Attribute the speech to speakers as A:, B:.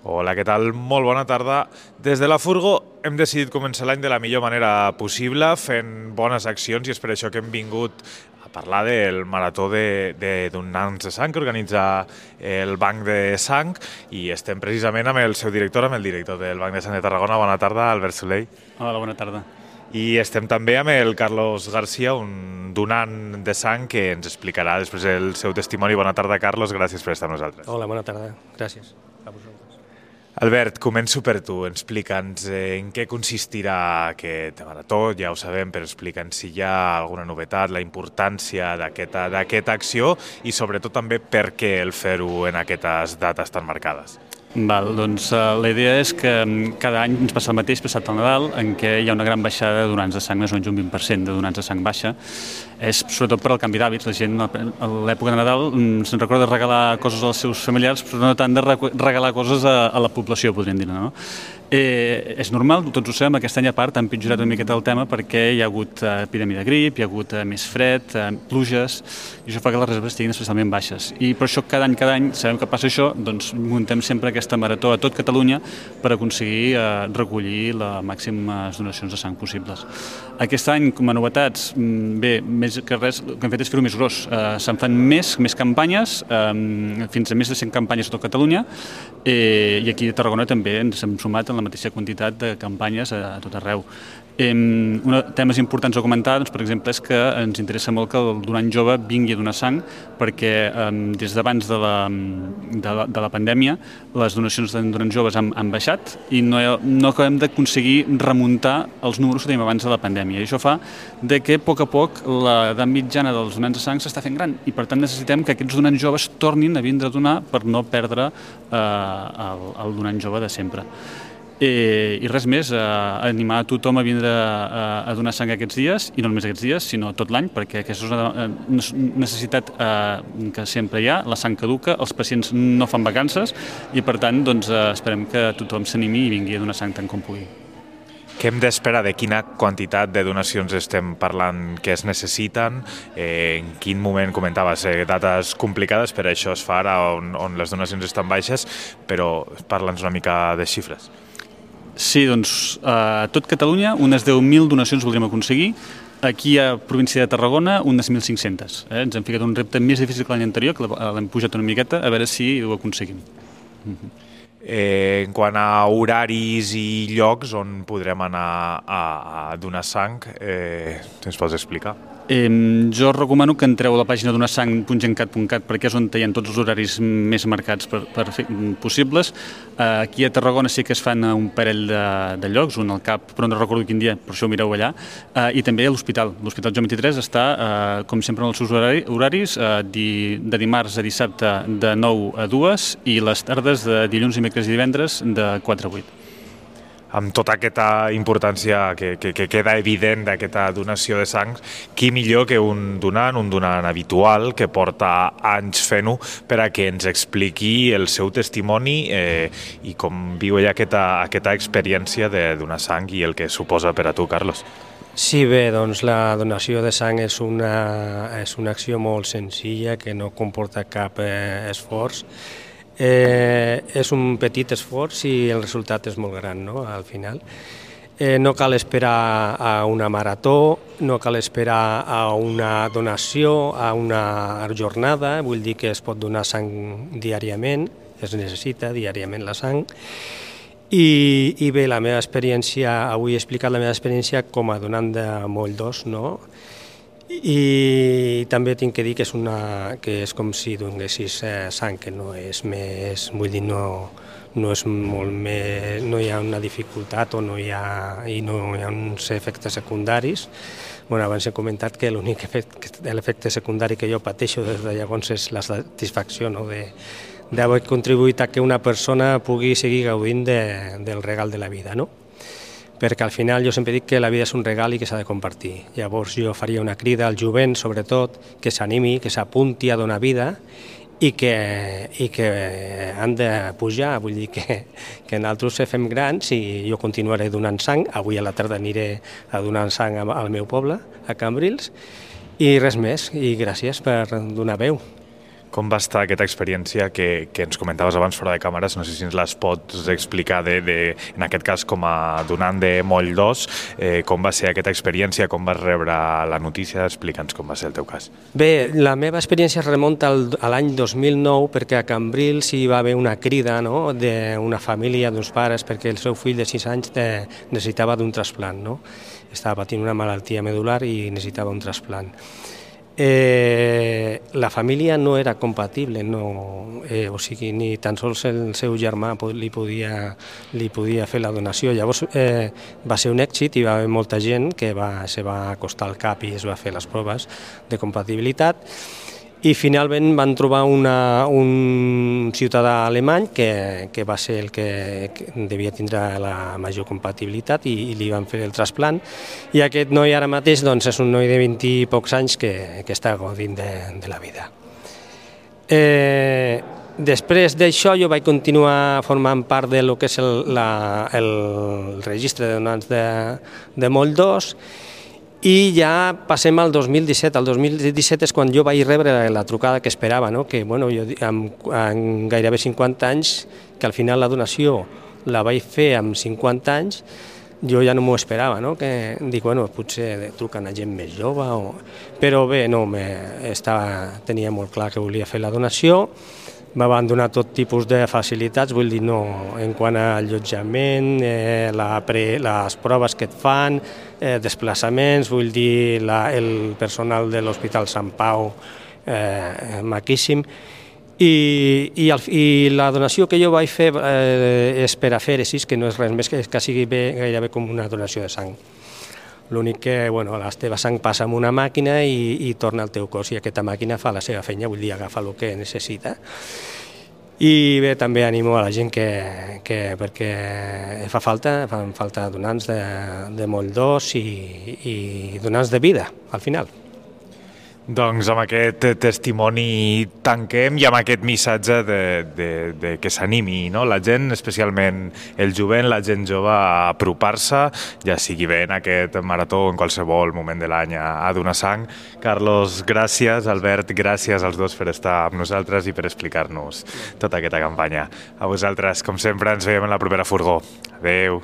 A: Hola, què tal? Molt bona tarda. Des de la Furgo hem decidit començar l'any de la millor manera possible, fent bones accions, i és per això que hem vingut a parlar del marató de donants de sang que organitza el Banc de Sang, i estem precisament amb el seu director, amb el director del Banc de Sang de Tarragona. Bona tarda, Albert Soleil.
B: Hola, bona tarda.
A: I estem també amb el Carlos García, un donant de sang que ens explicarà després el seu testimoni. Bona tarda, Carlos, gràcies per estar amb nosaltres.
C: Hola, bona tarda, gràcies a vosaltres.
A: Albert, començo per tu. Explica'ns en què consistirà aquest marató, ja ho sabem, però explica'ns si hi ha alguna novetat, la importància d'aquesta acció i sobretot també per què el fer-ho en aquestes dates tan marcades.
B: Val, doncs la idea és que cada any ens passa el mateix, passat el Nadal, en què hi ha una gran baixada de donants de sang, més o menys un 20% de donants de sang baixa. És sobretot per al canvi d'hàbits. La gent a l'època de Nadal se'n recorda regalar coses als seus familiars, però no tant de regalar coses a la població, podríem dir, no? És normal, tots ho sabem, aquest any a part ha empitjorat una miqueta el tema perquè hi ha hagut epidèmia de grip, hi ha hagut més fred, pluges, i això fa que les reserves estiguin especialment baixes. I per això cada any sabem que passa això, doncs muntem sempre aquesta marató a tot Catalunya per aconseguir recollir les màximes donacions de sang possibles. Aquest any, com a novetats, bé, més que res, el que hem fet és fer-ho més gros. Se'n fan més campanyes, fins a més de 100 campanyes a tot Catalunya, i aquí a Tarragona també ens hem sumat en la mateixa quantitat de campanyes a tot arreu. Temes importants a comentar, doncs, per exemple, és que ens interessa molt que el donant jove vingui a donar sang, perquè des d'abans de la pandèmia les donacions de donants joves han baixat i no acabem d'aconseguir remuntar els números que tenim abans de la pandèmia. I això fa que a poc l'edat mitjana dels donants de sang s'està fent gran i per tant necessitem que aquests donants joves tornin a vindre a donar per no perdre el donant jove de sempre. I res més, animar a tothom a vindre a donar sang aquests dies, i no només aquests dies, sinó tot l'any, perquè aquesta és una necessitat que sempre hi ha, la sang caduca, els pacients no fan vacances, i per tant doncs, esperem que tothom s'animi i vingui a donar sang tant com pugui.
A: Què hem d'esperar? De quina quantitat de donacions estem parlant que es necessiten? En quin moment, comentaves, dates complicades, per això es fa ara on les donacions estan baixes, però parla'ns una mica de xifres.
B: Sí, doncs a tot Catalunya unes 10.000 donacions voldríem aconseguir. Aquí a província de Tarragona unes 1.500. Ens hem ficat un repte més difícil que l'any anterior, que l'hem pujat una miqueta, a veure si ho aconseguim.
A: En quant a horaris i llocs on podrem anar a donar sang, ens pots explicar?
B: Jo recomano que entreu a la pàgina donasang.gencat.cat perquè és on hi ha tots els horaris més marcats possibles. Aquí a Tarragona sí que es fan un parell de llocs, un al CAP, però no recordo quin dia, per això ho mireu allà, i també a l'hospital. L'Hospital Joan 23 està, com sempre, en els seus horaris, de dimarts a dissabte de 9 a 2 i les tardes de dilluns, dimecres i divendres de 4 a 8.
A: Amb tota aquesta importància que queda evident d'aquesta donació de sang, qui millor que un donant habitual que porta anys fent-ho, per a que ens expliqui el seu testimoni i com viu ella aquesta experiència de donar sang i el que suposa per a tu, Carlos.
C: Sí, bé, doncs la donació de sang és una acció molt senzilla que no comporta cap esforç. És un petit esforç i el resultat és molt gran, no?, al final. No cal esperar a una marató, no cal esperar a una donació, a una jornada, vull dir que es pot donar sang diàriament, es necessita diàriament la sang. I bé, la meva experiència, avui he explicat la meva experiència com a donant de moll d'os, no?, i també tinc que dir que és com si donessis sang, que no és més, vull dir, no és molt més, no hi ha una dificultat o no hi ha uns efectes secundaris. Abans he comentat que l'únic efecte secundari que jo pateixo des de llavors és la satisfacció d'haver contribuït a que una persona pugui seguir gaudint del regal de la vida, no? Perquè al final jo sempre dic que la vida és un regal i que s'ha de compartir. Llavors jo faria una crida al jovent, sobretot, que s'animi, que s'apunti a donar vida i que han de pujar. Vull dir que nosaltres fem grans i jo continuaré donant sang. Avui a la tarda aniré a donar sang al meu poble, a Cambrils, i res més. I gràcies per donar veu.
A: Com va estar aquesta experiència que ens comentaves abans fora de càmeres? No sé si ens les pots explicar, en aquest cas com a donant de Moll 2, com va ser aquesta experiència, com vas rebre la notícia? Explica'ns com va ser el teu cas.
C: Bé, la meva experiència es remunta a l'any 2009 perquè a Cambrils hi va haver una crida, no?, d'una família, d'uns pares, perquè el seu fill de 6 anys necessitava d'un trasplant, no? Estava patint una malaltia medular i necessitava un trasplant. La família no era compatible, o sigui, ni tan sols el seu germà li podia fer la donació. Llavors va ser un èxit i va haver molta gent que se va acostar al CAP i es va fer les proves de compatibilitat i finalment van trobar un ciutadà alemany que va ser el que devia tindre la major compatibilitat i li van fer el trasplant, i aquest noi ara mateix doncs, és un noi de 20 i pocs anys que està gaudint de la vida. Després d'això jo vaig continuar formant part de lo que és el registre de donants de Moll 2. I ja passem al 2017. El 2017 és quan jo vaig rebre la trucada que esperava, no? Que jo amb gairebé 50 anys, que al final la donació la vaig fer amb 50 anys, jo ja no m'ho esperava, no? Que dic, potser truquen a gent més jove, però bé, no, tenia molt clar que volia fer la donació. Me van donar tot tipus de facilitats, vull dir, en quant a allotjament, les proves que et fan, desplaçaments, vull dir, el personal de l'Hospital Sant Pau, maquíssim. I la donació que jo vaig fer és per afèresis, que no és res més que sigui gairebé com una donació de sang. L'únic que la teva sang passa amb una màquina i torna al teu cos, i aquesta màquina fa la seva feina, vull dir, agafa el que necessita. I bé, també animo a la gent perquè fan falta donants de Moll 2 i donants de vida, al final.
A: Doncs amb aquest testimoni tanquem i amb aquest missatge de que s'animi, no? La gent, especialment el jovent, la gent jove, a apropar-se, ja sigui bé en aquest marató o en qualsevol moment de l'any, a donar sang. Carlos, gràcies. Albert, gràcies als dos per estar amb nosaltres i per explicar-nos tota aquesta campanya. A vosaltres, com sempre, ens veiem en la propera furgó. Adéu.